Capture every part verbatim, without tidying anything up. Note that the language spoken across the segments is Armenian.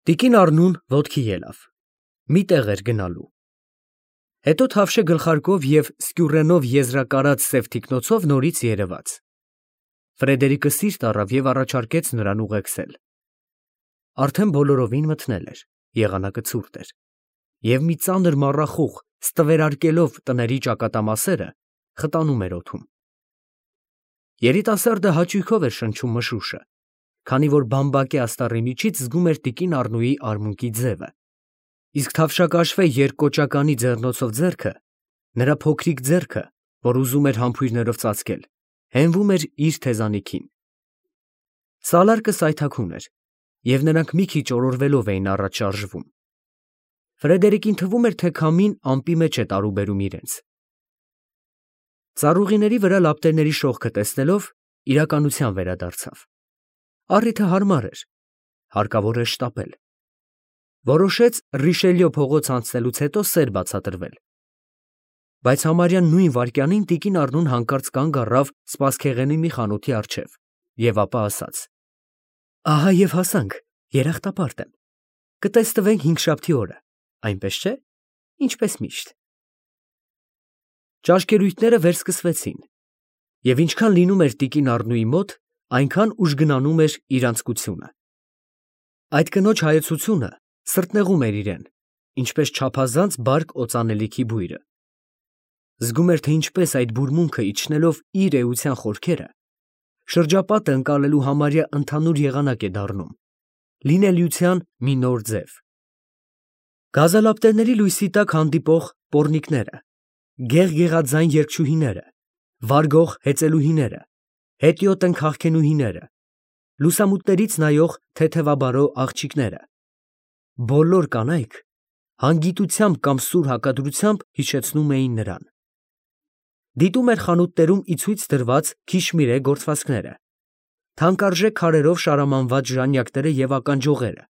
Տիկին Առնուն ոտքի ելավ, մի տեղ էր գնալու։ Հետո թավշե գլխարկով և սկյուռենով եզրակարած սև թիկնոցով նորից երևաց։ Ֆրեդերիկը սիրտ առավ և առաջարկեց նրան ուղեկցել։ Արդեն բոլորովին մթնել էր, եղանակը ցուրտ էր, և մի ծանր մառախուղ, ստվերարկելով տների ճակատամասերը, խտանում էր օդում։ Երիտասարդը հաճույքով էր շնչում մշուշը, քանի որ բամբակե աստառի միջից զգում էր տիկին Առնուի արմունկի ձևը, իսկ թավշակաշվե երկկոճականի ձեռնոցով ձեռքը, նրա փոքրիկ ձեռքը, որ ուզում էր համբույրներով ծածկել, հենվում էր իր թեզանիքին։ Սալարկը սայթաքուն էր, և նրանք մի քիչ օրորվելով էին առաջ շարժվում։ Ֆրեդերիկին թվում էր, թե քամին ամպի մեջ է տարուբերում իրենց։ Ծառուղիների վրա լապտերների շողքը տեսնելով, իրականության վերադարձավ։ Առիթը հարմար էր, հարկավոր էր շտապել։ Որոշեց Ռիշելյո փողոց անցնելուց հետո սեր բացատրվել։ Բայց համարյա նույն վայրկյանին տիկին Առնուն հանկարծ կանգ առավ սպասքեղենի մի խանութի առջև և ապա ասաց. «Ահա և հասանք, երախտապարտ եմ, կտսնվենք հինգշաբթի օրը, այնպես չէ՞, ինչպես միշտ»։ Ճաշկերույթները վերսկսվեցին, և ինչքան լինում էր տիկին Առնուի մոտ, այնքան ուժգնանում էր իր անձկությունը։ Այդ կնոջ հայեցությունը սրտնեղում էր իրեն, ինչպես չափազանց բարք օծանելիքի բույրը։ Զգում էր, թե ինչպես այդ բուրմունքը իջնելով իր էության խորքերը, շրջապատը ընկալելու համարյա ընդհանուր եղանակ է դառնում, լինելիության մի նոր ձև։ Գազալապտերների լույսի տակ հանդիպող պոռնիկները, գեղգեղաձայն երգչուհիները, վարգող հեծելուհիները, հետիոտն քաղքենուհիները, լուսամուտներից նայող թեթևաբարո աղջիկները, բոլոր կանայք հանգիտությամբ կամ սուր հակադրությամբ հիշեցնում էին նրան։ Դիտում էր խանութներում ի ցույց դրված քիշմիրե գործվածքները, թանկարժեք քարերով շարամանված ժանյակները և ականջողերը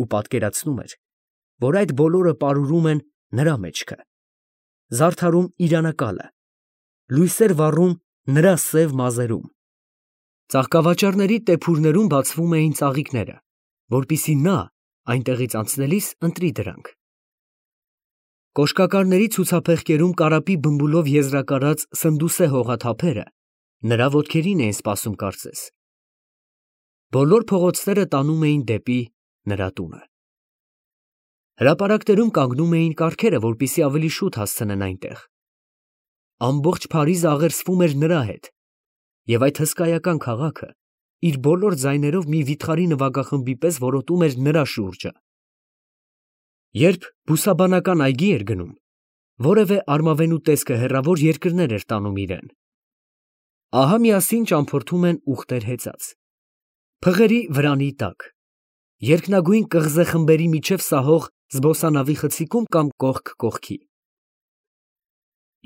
ու պատկերացնում էր, որ այդ բոլորը պարուրում են նրա մեջքը, զարդարում իր անակալը, լույսեր վառում նրա սև մազերում։ Ծաղկավաճառների տեփուրներում բացվում էին ծաղիկները, որպեսզի նա այնտեղից անցնելիս ընտրի դրանք։ Կոշկակարների ցուցափեղկերում կարապի բմբուլով եզրակարած սնդուսե հողաթափերը նրա ոտքերին էին սպասում կարծես։ Բոլոր փողոցները տանում էին դեպի նրա տունը։ Հրապարակներում կանգնում էին կառքերը, որպեսզի ավելի շուտ հասցնեն այնտեղ։ Ամբողջ Փարիզը աղերսվում էր նրա հետ, և այդ հսկայական քաղաքը իր բոլոր ձայներով մի վիթխարի նվագախմբի պես որոտում էր նրա շուրջը։ Երբ բուսաբանական այգի էր գնում, որևէ արմավենու տեսքը հեռավոր երկրներ էր տանում իրեն։ Ահա միասին ճամփորդում են ուղտեր հեծած, փղերի վրանի տակ, երկնագույն կղզե խմբերի միջև սահող զբոսանավի խցիկում կամ կողք կողքի։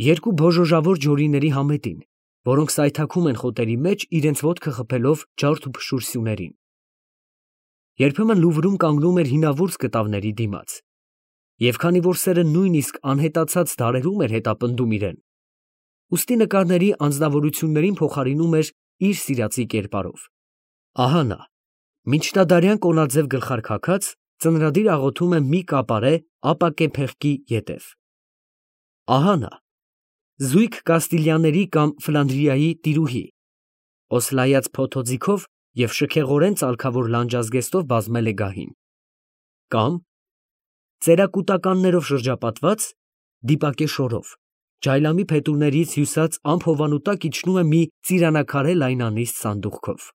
Երկու բոժոժավոր ջորիների համետին, որոնք սայթաքում են խոտերի մեջ, իրենց ոտքը խփելով ջարդ ու փշուր սյուներին։ Երբեմն Լուվրում կանգնում էր հինավուրց կտավների դիմաց, և քանի որ սերը նույնիսկ անհետացած դարերում էր հետապնդում իրեն, ուստի նկարների անձնավորություններին փոխարինում էր իր սիրածի կերպարով։ Ահա նա, միջնադարյան կոնաձև գլխարկ հագած, ծնրադիր աղոթում է մի կապարե ապակե փեղկի ետև։ Ահա նա, զույգ Կաստիլիաների կամ Ֆլանդրիայի տիրուհի, օսլայած փոթոձիգով և շքեղորեն ծալքավոր լանջազգեստով բազմել է գահին։ Կամ ծերակուտականներով շրջապատված, դիպակե շորով, ջայլամի փետուրներից հյուսած ամփոփանու տակ իջնում է մի ծիրանաքարե լայնանիստ սանդուղքով։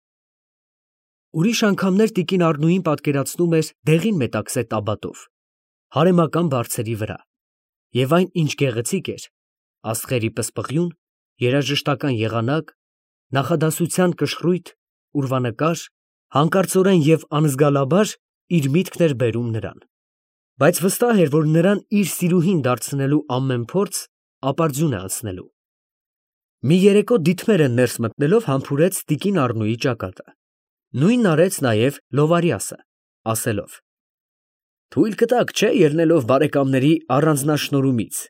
Ուրիշ անգամներ տիկին Առնուին պատկերացնում էր դեղին մետաքսե տաբատով, հարեմական բարձերի վրա, և այն ինչ գեղեցիկ էր, աստղերի պսպղյուն, երաժշտական եղանակ, նախադասության կշռույթ, ուրվանկար, հանկարծորեն և անզգալաբար իր միտքն էր բերում նրան։ Բայց վստահ էր, որ նրան իր սիրուհին դարձնելու ամեն փորձ ապարդյուն է անցնելու։ Մի երեկո դիտմերը ներս մտնելով համբուրեց տիկին Առնուի ճակատը։ Նույնն արեց նաև Լովարյասը, ասելով. «Թույլ կտաք, չէ՞, ելնելով բարեկամների առանձնաշնորհումից»։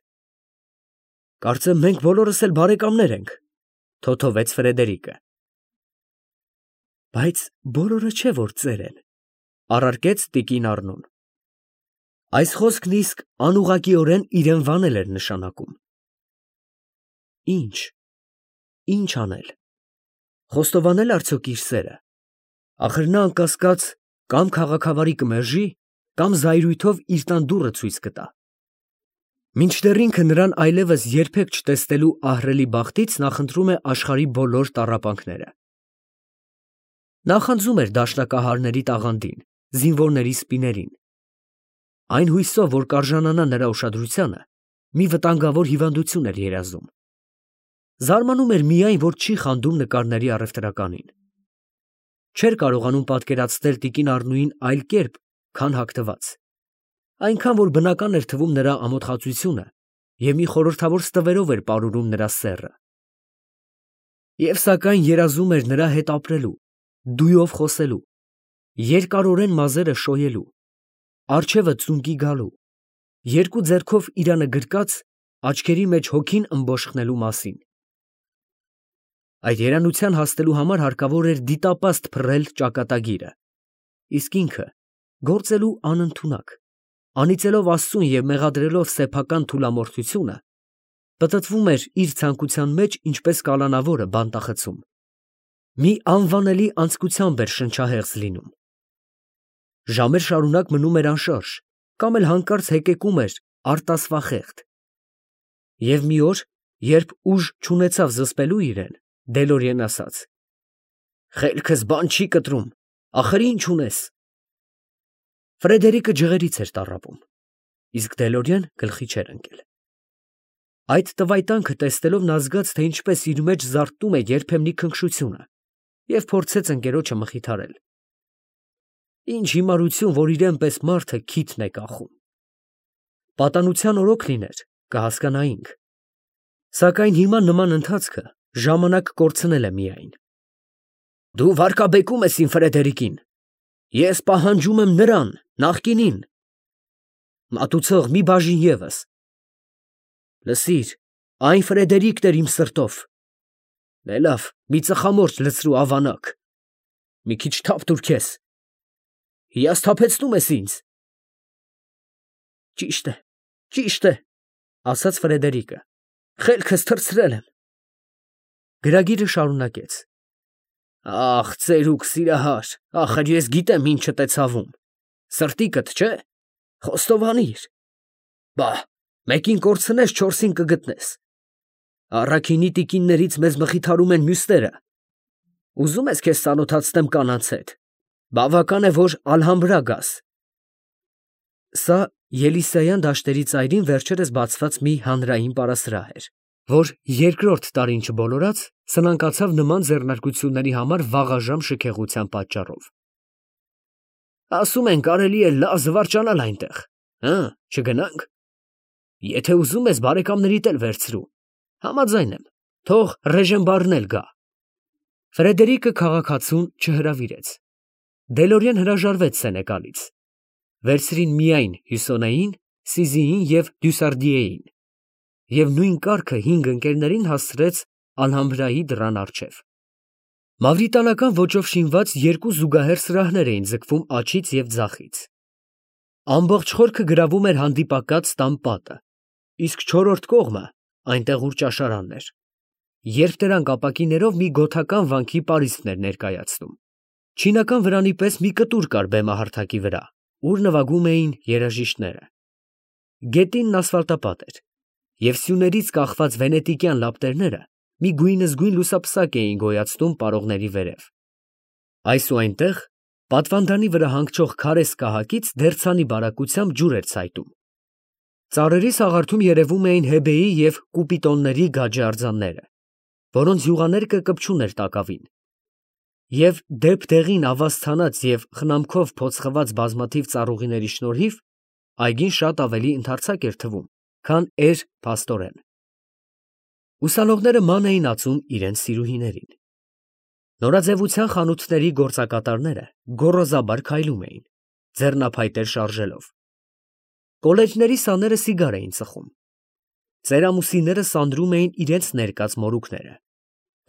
«Կարծեմ մենք բոլորս էլ բարեկամներ ենք», ֊ թոթովեց Ֆրեդերիկը։ «Բայց բոլորը չէ որ ծեր են, Առարկեց տիկին Առնոն։ Այս խոսքն իսկ անուղղակիորեն իրեն վանել էր նշանակում։ Ինչ, ինչ անել, խոստովանել արդյոք իր սերը, ախր նա անկասկած կամ քաղաքավարի կմերժի, կամ զայրույթով իր տան դուռը ցույց կտա։ Մինչդեռ ինքը նրան այլևս երբեք չտեսնելու ահռելի բախտից նախընտրում է աշխարհի բոլոր տառապանքները։ Նախանձում էր դաշնակահարների տաղանդին, զինվորների սպիներին։ Այն հույսով, որ կարժանանա նրա ուշադրությանը, մի վտանգավոր հիվանդություն էր երազում։ Զարմանում էր միայն, որ չի խանդում նկարների առևտրականին։ Չէր կարողանում պատկերացնել տիկին Առնուին այլ կերպ, քան հագնված, այնքան որ բնական էր թվում նրա ամոթխածությունը և մի խորհրդավոր ստվերով էր պարուրում նրա սեռը։ Եվ սակայն երազում էր նրա հետ ապրելու, դույով խոսելու, երկարորեն մազերը շոյելու, առջևը ծունկի գալու, երկու ձեռքով իրանը գրկած աչքերի մեջ հոգին ըմբոշխնելու մասին։ Այդ երանության հասնելու համար հարկավոր էր դիտապաստ փռել ճակատագիրը, իսկ ինքը գործելու անընդունակ, անիծելով Աստծուն և մեղադրելով սեփական թուլամորթությունը, պտտվում էր իր ցանկության մեջ, ինչպես կալանավորը բանտախցում, մի անվանելի անձկությամբ էր շնչահեղձ լինում։ Ժամեր շարունակ մնում էր անշարժ, կամ էլ հանկարծ հեկեկում էր արտասվախեղդ։ Եվ մի օր, երբ ուժ չունեցավ զսպելու իրեն, դելորեն ասաց. «Խելքս բան չի կտրում, ախր ինչ ունես»։ Ֆրեդերիկը ջղերից էր տառապում, իսկ Դելորեն գլխի չէր ընկել։ Այդ տվայտանքը տեսնելով նա զգաց, թե ինչպես իր մեջ զարթնում է երբեմնի քնքշությունը, և փորձեց ընկերոջը մխիթարել. «Ինչ հիմարություն, որ իրեն պես մարդը քիթն է կախում։ Պատանության օրոք լիներ, կհասկանայինք, սակայն հիմա նման ընթացքը ժամանակ կորցնել է միայն»։ «Դու վարկաբեկում ես իմ Ֆրեդերիկին, ես պահանջում եմ նրան, նախկինին»։ «Մատուցող, մի բաժին ևս»։ «Լսիր, այն Ֆրեդերիկն էր իմ սրտով»։ «Դե լավ, մի ծխամորճ լցրու ավանակ»։ «Մի քիչ թափ տուր քեզ»։ «Հիասթափեցնում ես ինձ»։ «Ճիշտ է, ճիշտ է», ասաց Ֆրեդերիկը, «խելքս թռցրել եմ»։ Գրագիրը շարունակեց. «Ախ, ծերուկ սիրահար, ախր ես գիտեմ ինչդ է ցավում, սրտիկդ, չէ՞, խոստովանիր։ Բա, մեկին կորցնես, չորսին կգտնես։ Առաքինի տիկիններից մեզ մխիթարում են մյուսները։ Ուզում ես քեզ ծանոթացնեմ կանանց հետ, բավական է, որ Ալհամբրա գաս»։ Սա Ելիսեյան դաշտերի ծայրին վերջերս բացված մի հանրային պարասրահ էր, որ երկրորդ տարին չբոլորած սնանկացավ նման ձեռնարկությունների համար վաղաժամ շքեղության պատճառով։ «Ասում են, կարելի է լավ զվարճանալ այնտեղ, հը, չգնա՞նք։ Եթե ուզում ես, բարեկամներիդ էլ վերցրու, համաձայն եմ, թող Ռեժենբարն էլ գա»։ Ֆրեդերիկը քաղաքացուն չհրավիրեց։ Դելորեն հրաժարվեց Սենեկալից։ Վերցրին միայն Հյուսոնեին, Սիզիին և Դյուսարդիեին, և նույն կառքը հինգ ընկերներին հասցրեց Ալհամբրայի դռան առջև։ Մավրիտանական ոճով շինված երկու զուգահեռ սրահներ էին ձգվում աջից և ձախից։ Ամբողջ խորքը գրավում էր հանդիպակաց տան պատը, իսկ չորրորդ կողմը այնտեղ ուր ճաշարանն էր, երկտրանք ապակիներով մի գոթական վանքի պարիսպն էր ներկայացնում։ Չինական վրանի պես մի կտուր կար բեմահարթակի վրա, ուր նվագում էին երաժիշտները։ Գետինն ասֆալտապատ էր, և սյուներից կախված վենետիկյան լապտերները մի գույնզգույն լուսապսակ էին գոյացնում պարողների վերև։ Այս ու այնտեղ, պատվանդանի վրա հանգչող քարե սկահակից դերձանի բարակությամբ ջուր էր ցայտում։ Ծառերի սաղարթում երևում էին հեբեի և կուպիտոնների գաջե արձանները, որոնց յուղաներկը կպչուն էր տակավին, և դեպ֊դեղին ավազ ցանած և խնամքով փոցխված բազմաթիվ ծառուղիների շնորհիվ այգին շատ ավելի ընդարձակ էր թվում, քան էր փաստորեն։ Ուսանողները ման էին ածում իրենց սիրուհիներին։ Նորաձևության խանութների գործակատարները գոռոզաբար քայլում էին, ձեռնափայտեր շարժելով։ Կոլեջների սաները սիգար էին ծխում։ Ծերամուսիները սանրում էին իրենց ներկած մորուքները։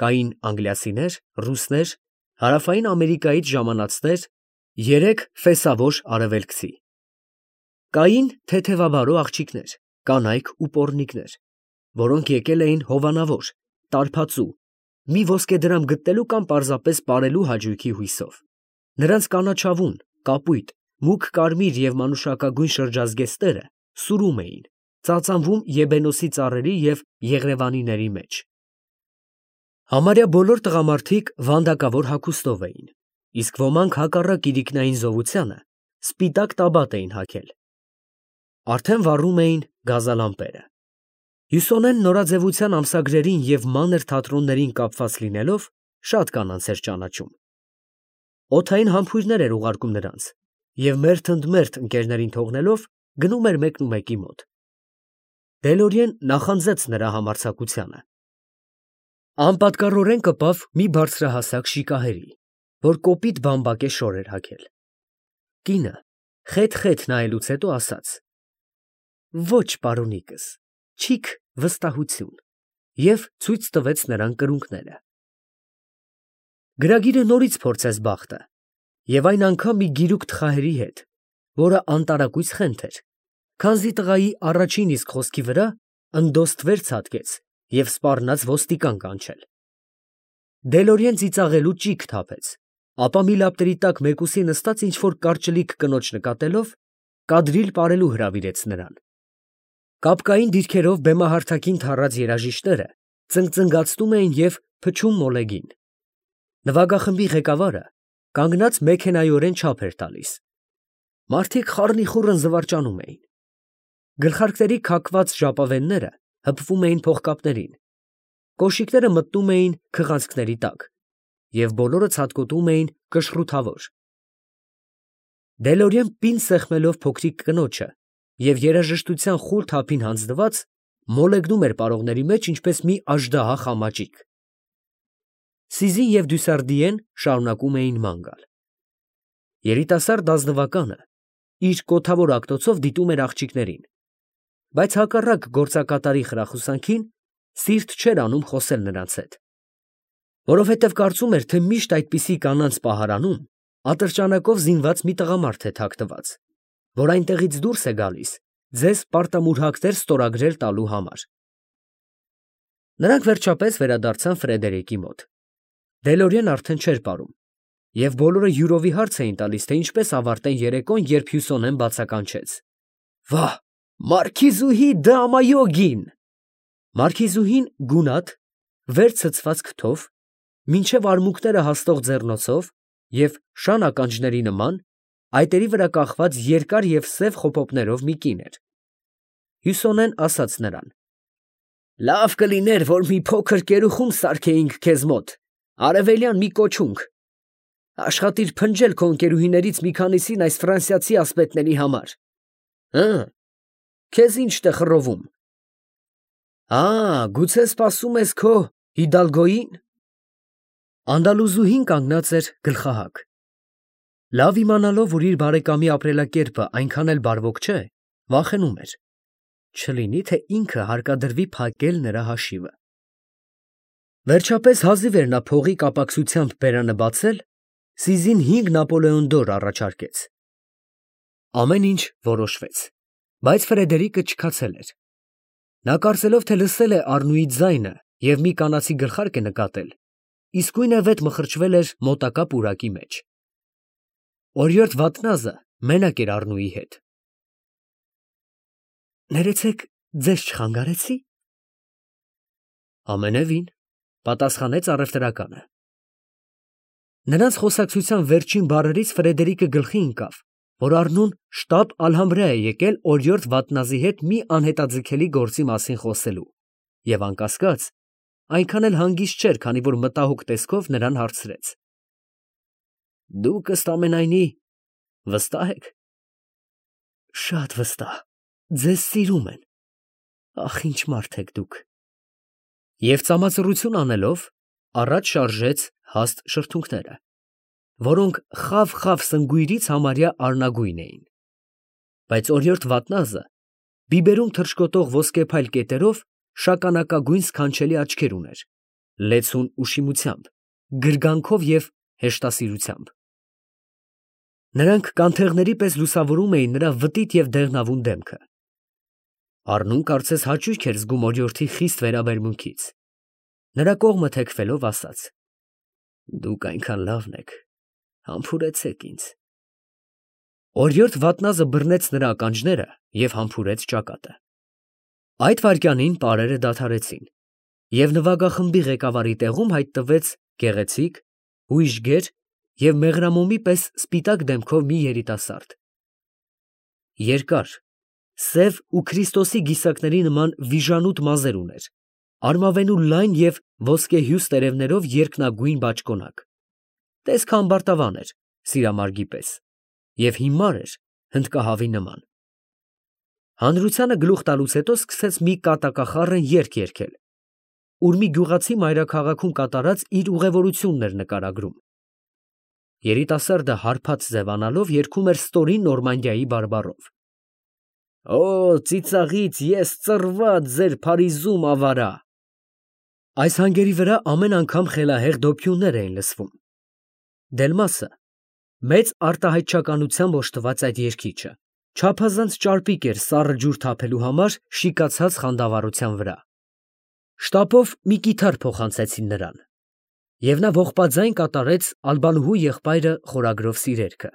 Կային անգլիացիներ, ռուսներ, հարավային Ամերիկայից ժամանածներ Երեք ֆեսավոր արևելքցի։ Կային թեթևաբարո աղջիկներ, կանայք ու պոռնիկներ, որոնք եկել էին հովանավոր, տարբածու, մի ոսկեդրամ գտնելու կամ պարզապես պարելու հաճույքի հույսով։ Նրանց կանաչավուն, կապույտ, մուգ կարմիր և մանուշակագույն շրջազգեստները սուրում էին, ծածանվում եբենոսի ծառերի և եղևանիների մեջ։ Համարյա բոլոր տղամարդիկ վանդակավոր հագուստով էին, իսկ ոմանք հակառակ իրիկնային զովությանը սպիտակ տաբատ էին հագել։ Արդեն վառում էին գազալամպերը։ Հյուսոնեն նորաձևության ամսագրերին և մանր թատրոններին կապված լինելով, շատ կանանց էր ճանաչում։ Օդային համբույրներ էր ուղարկում նրանց և մերթ ընդ մերթ ընկերներին թողնելով, գնում էր մեկնումեկի մոտ։ Դելորիեն նախանձեց նրա համարձակությանը։ Անպատկառորեն կպավ մի բարձրահասակ շիկահերի, որ կոպիտ բամբակե շոր էր հագել։ Կինը խեթ֊խեթ նայելուց հետո ասաց. «Ոչ, պարոնիկս, չիք վստահություն» և ցույց տվեց նրան կրունկները։ Գրագիրը նորից փորձեց բախտը, և այն անգամ մի գիրուկ թխահերի հետ, որը անտարակույս խենթ էր, քանզի տղայի առաջին իսկ խոսքի վրա ընդոստվեր ցատկեց և սպառնաց ոստիկան կանչել։ Դելորիեն ծիծաղելու ճիգ թափեց, ապա մի լապտերի տակ մեկուսի նստած ինչ֊որ կարճլիկ կնոջ նկատելով, կադրիլ պարելու հրավիրեց նրան։ Կապկային դիրքերով բեմահարթակին թառած երաժիշտները ծնկծնգացնում էին և փչում մոլեգին։ Նվագախմբի ղեկավարը կանգնած մեքենայորեն չափ էր տալիս։ Մարդիկ խառնիխուռն զվարճանում էին։ Գլխարկների քաքված ժապավենները հպվում էին փողկապներին, կոշիկները մտնում էին քղանցքների տակ, և բոլորը ցատկոտում էին կշռութավոր։ Դելորիեն պինդ սեղմելով փոքրիկ կնոջը և երաժշտության խուլ թափին հանձնված, մոլեգնում էր պարողների մեջ ինչպես մի աժդահա խամաճիկ։ Սիզին և Դյուսարդիեն շարունակում էին ման գալ։ Երիտասարդ ազնվականը իր կոթավոր ակտոցով դիտում էր աղջիկներին, բայց հակառակ գործակատարի խրախուսանքին սիրտ չէր անում խոսել նրանց հետ, որովհետև կարծում էր, թե միշտ այդպիսի կանանց պահարանում ատրճանակով զինված մի տղամարդ է թաքնված, որ այնտեղից դուրս է գալիս ձեզ պարտամուրհակներ ստորագրել տալու համար։ Նրանք վերջապես վերադարձան Ֆրեդերիկի մոտ։ Դելորիեն արդեն չէր պարում, և բոլորը յուրովի հարց էին տալիս, թե ինչպես ավարտեն երեկոն, երբ Հյուսոնեն բացականչեց. «Վա՜, մարքիզուհի Դ'Ամայոգին»։ Մարքիզուհին գունատ, վեր ցցված քթով, մինչև արմունկները հասնող ձեռնոցով և շան ականջների նման, այտերի վրա կախված երկար և սև խոպոպներով մի կին էր։ Հյուսոնեն ասաց նրան. «Լավ կլիներ, որ մի փոքր կերուխում սարքեինք քեզ մոտ, արևելյան մի կոճունք. աշխատիր փնջել քո ընկերուհիներից մի քանիսին այս ֆրանսիացի ասպետների համար։ Հը՞, քեզ ի՞նչդ է խռովում։ Ա, գուցե սպասում ես քո Հիդալգոյի՞ն»։ Անդալուզուհին կանգնած էր գլխահակ։ Լավ իմանալով, որ իր բարեկամի ապրելակերպը այնքան էլ բարվոք չէ, վախենում էր. չլինի թե ինքը հարկադրվի փակել նրա հաշիվը։ Վերջապես հազիվ էր նա փողի կապակցությամբ բերանը բացել, Սիզին հինգ նապոլեոնդոր առաջարկեց։ Ամեն ինչ որոշվեց, բայց Ֆրեդերիկը չքացել էր։ Նա կարծելով, թե լսել է Առնուի ձայնը և մի կանացի գլխարկ է նկատել, իսկույնևեթ մխրճվել էր մոտակա պուրակի մեջ։ Օրիորդ Վաթնազը մենակ էր Առնուի հետ։ Ներեցեք, ձեզ չխանգարեցի՞։ Ամենևին, պատասխանեց առևտրականը։ Նրանց խոսակցության վերջին բառերից Ֆրեդերիկը գլխի ընկավ, որ Առնուն շտապ Ալհամբրա է եկել օրիորդ Վաթնազի հետ մի անհետաձգելի գործի մասին խոսելու, և անկասկած, այնքան էլ հանգիստ չէր, քանի որ մտահոգ տեսքով նրան հարցրեց. Դուք ըստ ամենայնի վստահ եք։ Շատ վստահ, ձեզ սիրում են, ախ, ինչ մարդ եք դուք։ Եվ ծամացռություն անելով, առաջ շարժեց հաստ շրթունքները, որոնք խավ֊խավ սնգույրից համարյա արնագույն էին։ Բայց օրիորդ Վաթնազը բիբերում թռչկոտող ոսկեփայլ կետերով շագանակագույն սքանչելի աչքեր ուներ, լեցուն ուշիմությամբ, գրգանքով և հեշտասիրությամբ։ Նրանք կանթեղների պես լուսավորում էին նրա վտիտ և դեղնավուն դեմքը։ Առնուն կարծես հաճույք էր զգում օրիորդի խիստ վերաբերմունքից։ Նրա կողմը թեքվելով ասաց. «Դուք այնքան լավն եք, համբուրեցեք ինձ»։ Օրիորդ Վատնազը բռնեց նրա ականջները և համբուրեց ճակատը։ Այդ վայրկյանին պարերը դադարեցին, և նվագախմբի ղեկավարի տեղում հայտնվեց գեղեցիկ, հույժ գեր և մեղրամոմի պես սպիտակ դեմքով մի երիտասարդ։ Երկար, սև ու Քրիստոսի գիսակների նման վիժանութ մազեր ուներ, արմավենու լայն և ոսկեհյուս տերևներով երկնագույն բաճկոնակ, տեսքը ամբարտավան էր, սիրամարգի պես, և հիմար էր հնդկահավի նման։ Հանրությանը գլուխ տալուց հետո սկսեց մի կատակախառն երգ երգել, ուր մի գյուղացի մայրաքաղաքում կատարած իր ուղևորությունն էր նկարագրում։ Երիտասարդը հարբած ձևանալով երգում էր ստորին Նորմանդիայի բարբառով. «Օ, ծիծաղից ես ծռված ձեր Փարիզում ավարա»։ Այս հանգերի վրա ամեն անգամ խելահեղ դոփյուններ էին լսվում։ Դելմասը, մեծ արտահայտչականությամբ օժտված այդ երգիչը, չափազանց ճարպիկ էր սառը ջուր թափելու համար շիկացած խանդավառության վրա։ Շտապով մի կիթառ փոխանցեցին նրան, և նա ողբաձայն կատարեց Ալբանուհու եղբայրը խորագրով սիրերքը։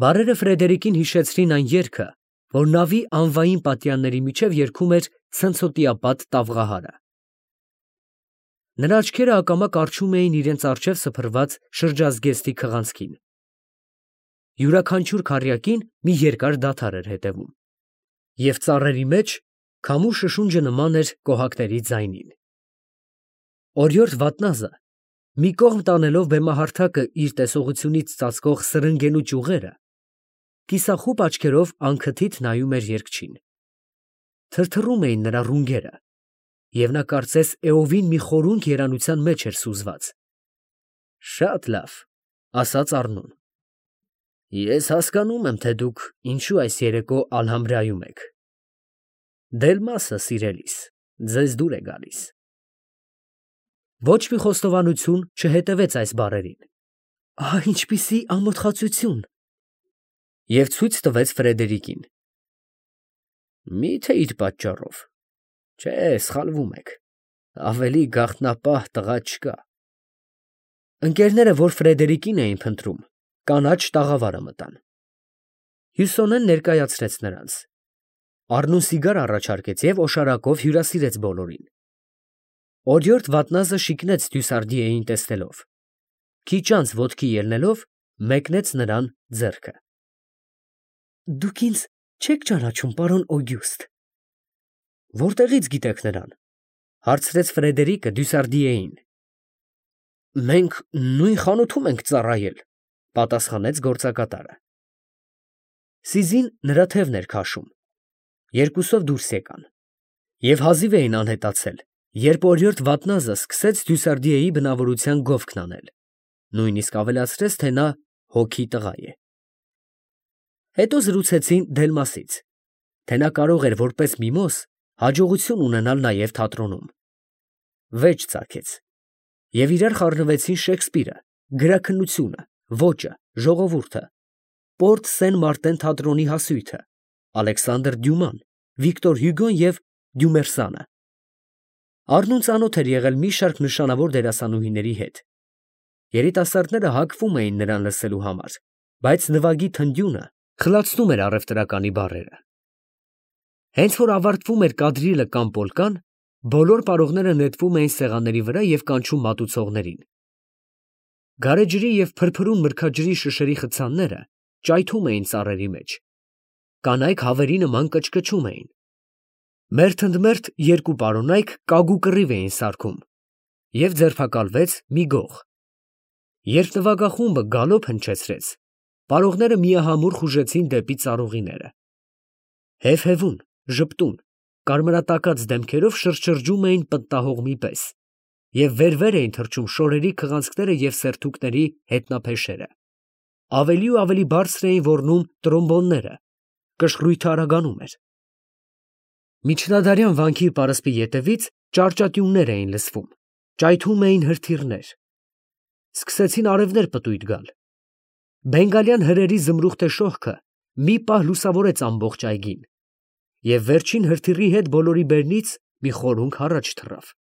Բառերը Ֆրեդերիկին հիշեցրին այն երգը, որ նավի անվային պատյանների միջև երգում էր ցնցոտիապատ տավղահարը։ Նրա աչքերը ակամա կառչում էին իրենց առջև սփռված շրջազգեստի քղանցքին։ Յուրաքանչյուր քառյակին մի երկար դադար էր հետևում, և ծառերի մեջ քամու շշունջը նման էր կոհակների ձայնին։ Օրիորդ Վատնազը, մի կողմ տանելով բեմահարթակը իր տեսողությունից ծածկող սրընգենու ճյուղերը, կիսախուպ աչքերով անքթիթ նայում էր երգչին։ Թրթռում էին նրա ռունգերը, և նա կարծես էովին մի խորունկ երանության մեջ էր սուզված։ «Շատ լավ», ասաց Առնուն, «ես հասկանում եմ, թե դուք ինչու այս երեկո Ալհամբրայում եք։ Դելմասը, սիրելիս, ձեզ դուր է գալիս»։ Ոչ մի խոստովանություն չհետևեց այս բառերին։ Ահա ինչպիսի ամոթխածություն… և ցույց տվեց Ֆրեդերիկին։ Մի՞թե իր պատճառով։ Չէ, սխալվում եք, ավելի գաղտնապահ տղա չկա։ Ընկերները, որ Ֆրեդերիկին էին փնտրում, կանաչ տաղավարը մտան։ Հյուսոնեն ներկայացրեց նրանց։ Առնուն սիգար առաջարկեց և օշարակով հյուրասիրեց բոլորին։ Օրիորդ Վատնազը շիկնեց Դյուսարդիեին տեսնելով, քիչ անց ոտքի ելնելով մեկնեց նրան ձեռքը։ Դուք ինձ չեք ճանաչում, պարոն Օգյուստը։ Որտեղի՞ց գիտեք նրան, հարցրեց Ֆրեդերիկը Դյուսարդիեին։ Մենք նույն խանութում ենք ծառայել, պատասխանեց գործակատարը։ Սիզին նրա թևն էր քաշում։ Երկուսով դուրս եկան և հազիվ էին անհետացել, երբ օրիորդ Վատնազը սկսեց Դյուսարդիեի բնավորության գովքն անել, նույնիսկ ավելացրեց, թե նա հոգի տղա է։ Հետո զրուցեցին Դելմասից, թե նա կարող էր որպես միմոզ հաջողություն ունենալ նաև թատրոնում։ Վեճ ծագեց, և իրար խառնվեցին Շեքսպիրը, գրաքննությունը, ոճը, ժողովուրդը, Պորտ Սեն Մարտեն թատրոնի հասույթը, Ալեքսանդր Դյուման, Վիկտոր Հյուգոն և Դյումերսանը։ Առնուն ծանոթ էր եղել մի շարք նշանավոր դերասանուհիների հետ։ Երիտասարդները հակվում էին նրան լսելու համար, բայց նվագի թնդյունը խլացնում էր առևտրականի բառերը։ Հենց որ ավարտվում էր կադրիլը կամ պոլկան, բոլոր պարողները նետվում էին սեղանների վրա և կանչում մատուցողներին։ Գարեջրի և փրփրուն մրգաջրի շշերի խցանները ճայթում էին ծառերի մեջ։ Կանայք հավերի նման կչկչում էին։ Մերթ ընդ մերթ երկու պարոնայք կագու կռիվ էին սարքում, և ձերբակալվեց մի գող։ Երբ նվագախումբը գալոպ հնչեցրեց, պարողները միահամուռ խուժեցին դեպի ծառուղիները։ Հեվհևուն, ժպտուն, կարմրատակած դեմքերով շրջշրջում էին պտտահողմի պես և վեր֊վեր էին թռչում շորերի քղանցքները և սերթուկների հետնափեշերը։ Ավելի ու ավելի բարձր էին ոռնում տրոմբոնները, կշռույթը արագանում էր։ Միջնադարյան վանքի պարսպի ետևից ճառճատյուններ էին լսվում, ճայթում էին հրթիռներ։ Սկսեցին արևներ պտույտ գալ։ Բենգալյան հրերի զմրուխտե շողքը մի պահ լուսավորեց ամբողջ այգին, և վերջին հրթիռի հետ բոլորի բերնից մի խորունգ առաջ թռավ։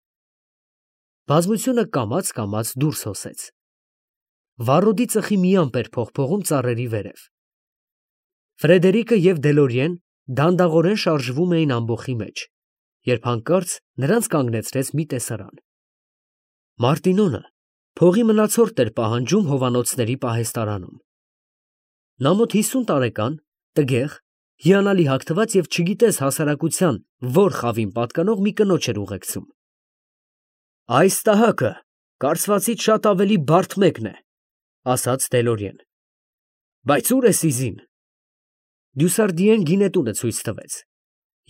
Բազմությունը կամաց֊կամաց դուրս հոսեց։ Վառոդի ծխի մի ամպ էր փողփողում ծառերի վերև։ Ֆրեդերիկը և Դելորիեն դանդաղորեն շարժվում էին ամբոխի մեջ, երբ հանկարծ նրանց կանգնեցրեց մի տեսարան։ Մարտինոնը փողի մնացորդ էր պահանջում հովանոցների պահեստարանում։ Նա մոտ հիսուն տարեկան, տգեղ, հիանալի հագնված և չգիտես հասարակության որ խավին պատկանող մի կնոջ էր ուղեկցում։ «Այս տհակը կարծվածից շատ ավելի բարդ մեկն է, ֊ ասաց Դելորիեն։ ֊ Բայց ո՞ւր է Սիզին։ Դյուսարդիեն գինետունը ցույց տվեց,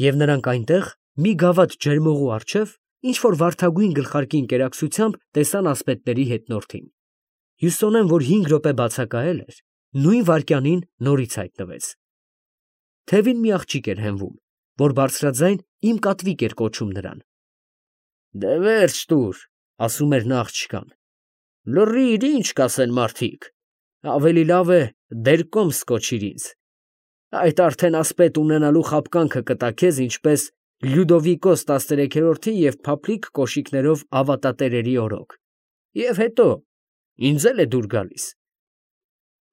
և նրանք այնտեղ, մի գավաթ ջերմողու առջև, ինչ֊որ վարդագույն գլխարկի ընկերակցությամբ տեսան ասպետների հետնորդին։ Հյուստոնեն, որ հինգ րոպե բացակայել էր, նույն վայրկյանին նորից հայտնվեց։ Թևին մի աղջիկ էր հենվում, որ բարձրաձայն իմ կատվիկ էր կոչում նրան։ «Դե վերջ տուր, ֊ ասում էր նա աղջկան, ֊ լռիր, ինչ կասեն մարդիկ, ավելի լավ է դեր կոմս կոչիր ինձ, այդ արդեն ասպետ ունենալու խաբկանքը կտա քեզ ինչպես Լյուդովիկոս տասներեքերորդի և փափլիկ կոշիկներով ավատատերերի օրոք, և հետո ինձ էլ է դուր գալիս։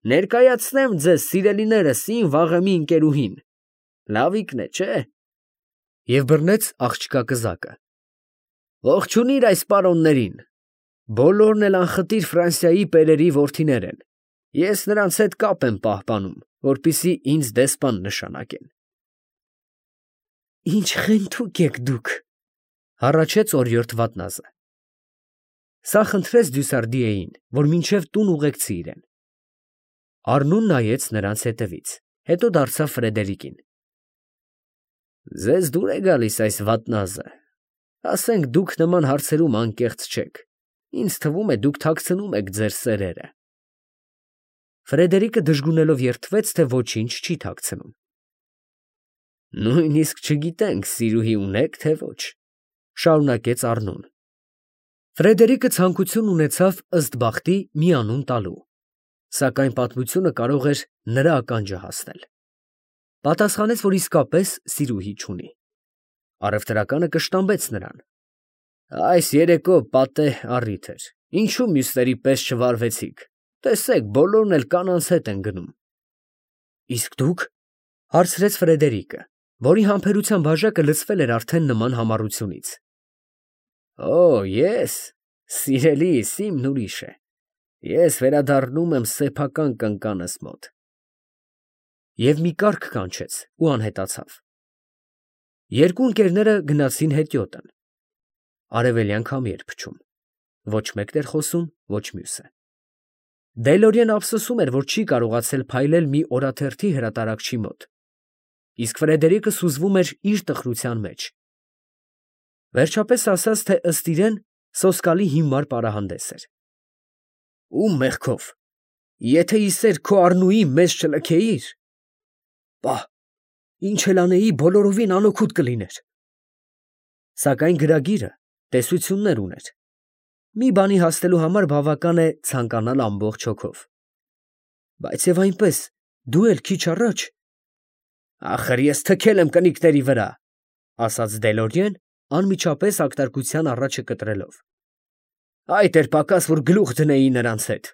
Ներկայացնեմ ձեզ սիրելիներս իմ վաղեմի ընկերուհին, լավիկն է, չէ՞։ Եվ բռնեց աղջկա կզակը։ Ողջունիր այս պարոններին, բոլորն էլ անխտիր Ֆրանսիայի պերերի որդիներ են, ես նրանց հետ կապ եմ պահպանում, որպեսզի ինձ դեսպան նշանակեն։ ֊ Ինչ խենթուկ եք դուք, ֊ հառաչեց օրիորդ Վատնազը։ Սա խնդրեց Դյուսարդիեին, որ մինչև տուն ուղեկցի իրեն։ Առնուն նայեց նրանց հետևից, հետո դարձավ Ֆրեդերիկին. Ձեզ դուր է գալիս այս վատնազը, ասենք դուք նման հարցերում անկեղծ չեք, ինձ թվում է դուք թաքցնում եք ձեր սերերը։ Ֆրեդերիկը դժգունելով երդվեց, թե ոչինչ չի թաքցնում։ Նույնիսկ չգիտենք սիրուհի ունեք, թե ոչ, շարունակեց Առնուն։ Ֆրեդերիկը ցանկություն ունեցավ ըստ բախտի մի անուն տալու, սակայն պատմությունը կարող էր նրա ականջը հասնել։ Պատասխանեց, որ իսկապես սիրուհի չունի։ Առևտրականը կշտամբեց նրան։ Այս երեկո պատեհ առիթ էր, ինչու մյուսների պես չվարվեցիք, տեսեք, բոլորն էլ կանանց հետ են գնում։ Իսկ դուք, ֊ հարցրեց Ֆրեդերիկը, որի համբերության բաժակը լցվել էր արդեն նման համառությունից։ Օ, ես, սիրելիս, իմն ուրիշ է, ես վերադառնում եմ սեփական կնկանս մոտ։ Եվ մի կառք կանչեց ու անհետացավ։ Երկու ընկերները գնացին հետիոտն։ Արևելյան քամի էր փչում, ոչ մեկն էր խոսում, ոչ մյուսը։ Դելորիեն ափսոսում էր, որ չի կարողացել փայլել մի օրաթերթի հրատարակչի մոտ, իսկ Ֆրեդերիկը սուզվում էր իր տխրության մեջ։ Վերջապես ասաց, թե ըստ իրեն սոսկալի հիմար պարահանդես էր։ Ում մեղքով, եթե իսեր քո Առնուի մեզ չլքեիր, պահ, ինչ էլ անեի, բոլորովին անօգուտ կլիներ։ Սակայն գրագիրը տեսություններ ուներ։ Մի բանի հասնելու համար բավական է ցանկանալ ամբողջ հոգով։ Բայց եւ այնպես, դու էլ քիչ առաջ։ Ախր ես թքել եմ կնիկների վրա, ասաց Դելորիեն, անմիջապես ակտարկության առաջը կտրելով։ Այդ էր պակաս, որ գլուխ դնեի նրանց հետ։